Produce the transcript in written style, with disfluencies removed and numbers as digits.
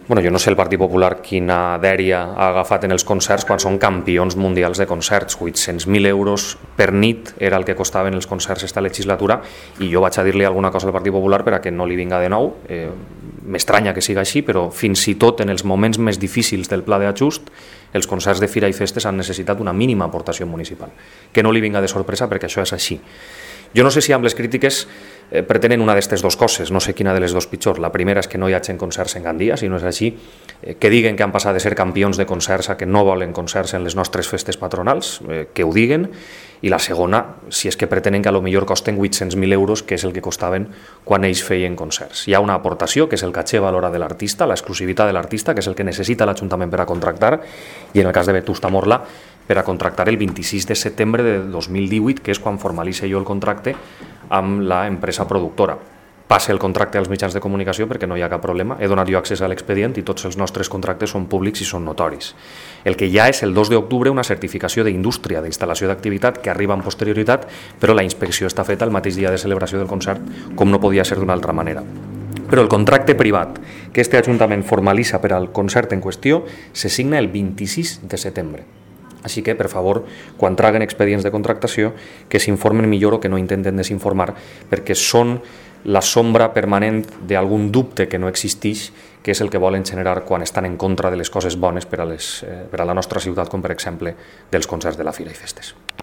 Bueno, jo no sé el Partit Popular quina dèria ha agafat en els concerts quan són campions mundials de concerts. 800.000 euros per nit era el que costaven els concerts esta legislatura i jo vaig a dir-li alguna cosa al Partit Popular per a que no li vinga de nou. M'estranya que siga així, però fins i tot en els moments més difícils del pla d'ajust els concerts de fira i festes han necessitat una mínima aportació municipal. Que no li vinga de sorpresa perquè això és així. Jo no sé si amb les crítiques pretenen una d'aquestes dues coses, no sé quina de les dues pitjor. La primera és que no hi hagi concerts en Gandia, si no és així, que diguen que han passat de ser campions de concerts a que no volen concerts en les nostres festes patronals, que ho diguen, i la segona, si és que pretenen que a lo millor costen 800.000 euros, que és el que costaven quan ells feien concerts. Hi ha una aportació, que és el caché valora de l'artista, l'exclusivitat de l'artista, que és el que necessita l'Ajuntament per a contractar, i en el cas de Vetusta Morla, per a contractar el 26 de setembre de 2018, que és quan formalitza jo el contracte amb l'empresa productora. Passe el contracte als mitjans de comunicació perquè no hi ha cap problema. He donat jo accés a l'expedient i tots els nostres contractes són públics i són notoris. El que ja és el 2 d'octubre una certificació d'indústria, d'instal·lació d'activitat que arriba amb posterioritat, però la inspecció està feta el mateix dia de celebració del concert, com no podia ser d'una altra manera. Però el contracte privat que este Ajuntament formalitza per al concert en qüestió se signa el 26 de setembre. Així que, per favor, quan traguen expedients de contractació, que s'informen millor o que no intenten desinformar, perquè són la sombra permanent d'algun dubte que no existeix, que és el que volen generar quan estan en contra de les coses bones per a la nostra ciutat, com per exemple dels concerts de la Fira i Festes.